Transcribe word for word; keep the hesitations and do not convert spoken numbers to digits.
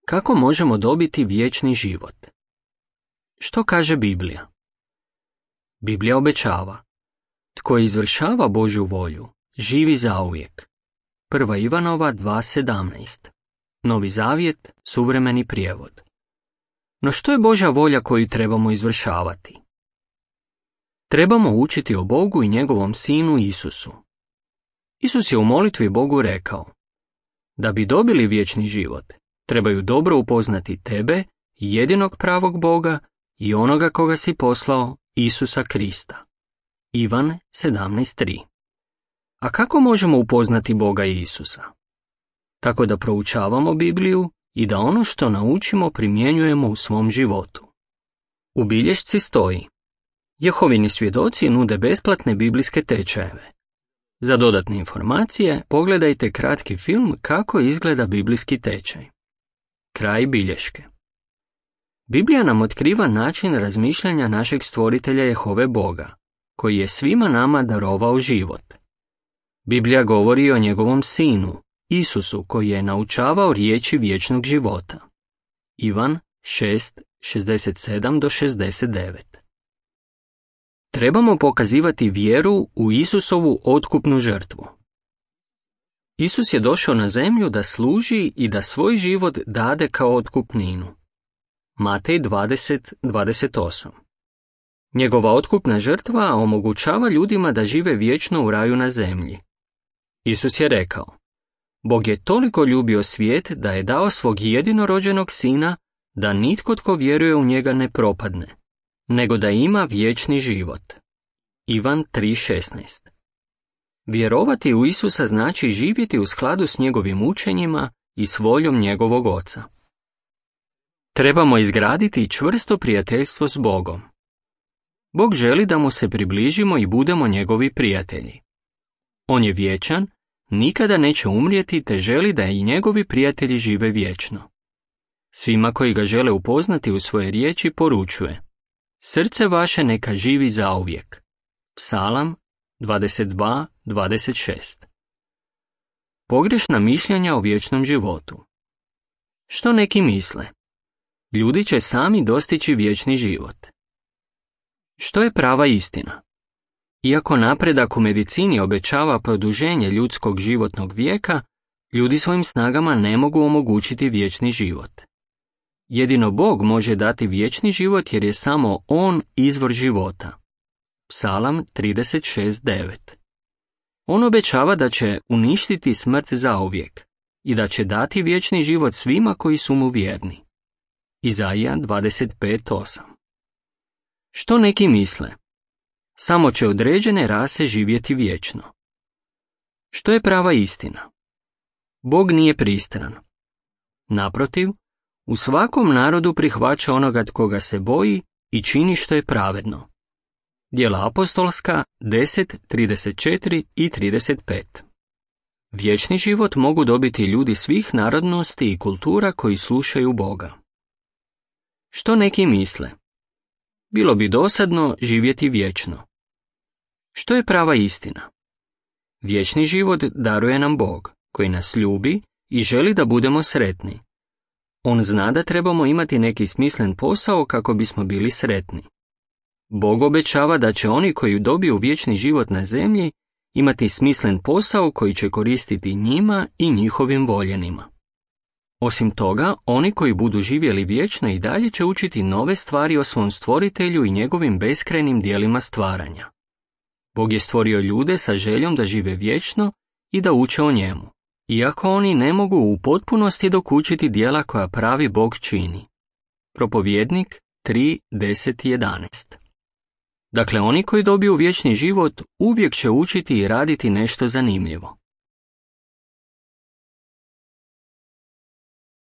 Kako možemo dobiti vječni život? Što kaže Biblija? Biblija obećava: tko izvršava Božju volju, živi zauvijek. Prva Ivanova dva sedamnaest. Novi Zavjet, suvremeni prijevod. No što je Božja volja koju trebamo izvršavati? Trebamo učiti o Bogu i njegovom Sinu Isusu. Isus je u molitvi Bogu rekao: da bi dobili vječni život, trebaju dobro upoznati tebe, jedinog pravog Boga, i onoga koga si poslao, Isusa Krista. Ivan sedamnaest tri. A kako možemo upoznati Boga i Isusa? Tako da proučavamo Bibliju i da ono što naučimo primjenjujemo u svom životu. U bilješci stoji: Jehovini svjedoci nude besplatne biblijske tečajeve. Za dodatne informacije pogledajte kratki film Kako izgleda biblijski tečaj. Kraj bilješke. Biblija nam otkriva način razmišljanja našeg stvoritelja Jehove Boga, koji je svima nama darovao život. Biblija govori o njegovom sinu, Isusu, koji je naučavao riječi vječnog života. Ivan šest šezdeset sedam do šezdeset devet. Trebamo pokazivati vjeru u Isusovu otkupnu žrtvu. Isus je došao na zemlju da služi i da svoj život dade kao otkupninu. Matej dvadeset dvadeset osam. Njegova otkupna žrtva omogućava ljudima da žive vječno u raju na zemlji. Isus je rekao: Bog je toliko ljubio svijet da je dao svog jedinorođenog sina, da nitko tko vjeruje u njega ne propadne, nego da ima vječni život. Ivan tri šesnaest. Vjerovati u Isusa znači živjeti u skladu s njegovim učenjima i s voljom njegovog Oca. Trebamo izgraditi čvrsto prijateljstvo s Bogom. Bog želi da mu se približimo i budemo njegovi prijatelji. On je vječan, nikada neće umrijeti, te želi da i njegovi prijatelji žive vječno. Svima koji ga žele upoznati u svoje riječi poručuje: srce vaše neka živi zauvijek. Psalam dvadeset dva dvadeset šest. Pogrešna mišljenja o vječnom životu. Što neki misle? Ljudi će sami dostići vječni život. Što je prava istina? Iako napredak u medicini obećava produženje ljudskog životnog vijeka, ljudi svojim snagama ne mogu omogućiti vječni život. Jedino Bog može dati vječni život jer je samo On izvor života. Psalam trideset šest devet. On obećava da će uništiti smrt zauvijek i da će dati vječni život svima koji su mu vjerni. Izaija dvadeset pet osam. Što neki misle? Samo će određene rase živjeti vječno. Što je prava istina? Bog nije pristran. Naprotiv, u svakom narodu prihvaća onoga tko ga se boji i čini što je pravedno. Djela apostolska deset trideset četiri i trideset pet. Vječni život mogu dobiti ljudi svih narodnosti i kultura koji slušaju Boga. Što neki misle? Bilo bi dosadno živjeti vječno. Što je prava istina? Vječni život daruje nam Bog, koji nas ljubi i želi da budemo sretni. On zna da trebamo imati neki smislen posao kako bismo bili sretni. Bog obećava da će oni koji dobiju vječni život na zemlji imati smislen posao koji će koristiti njima i njihovim voljenima. Osim toga, oni koji budu živjeli vječno i dalje će učiti nove stvari o svom stvoritelju i njegovim beskrajnim dijelima stvaranja. Bog je stvorio ljude sa željom da žive vječno i da uče o njemu, iako oni ne mogu u potpunosti dokučiti djela koja pravi Bog čini. Propovjednik tri deset jedanaest. Dakle, oni koji dobiju vječni život uvijek će učiti i raditi nešto zanimljivo.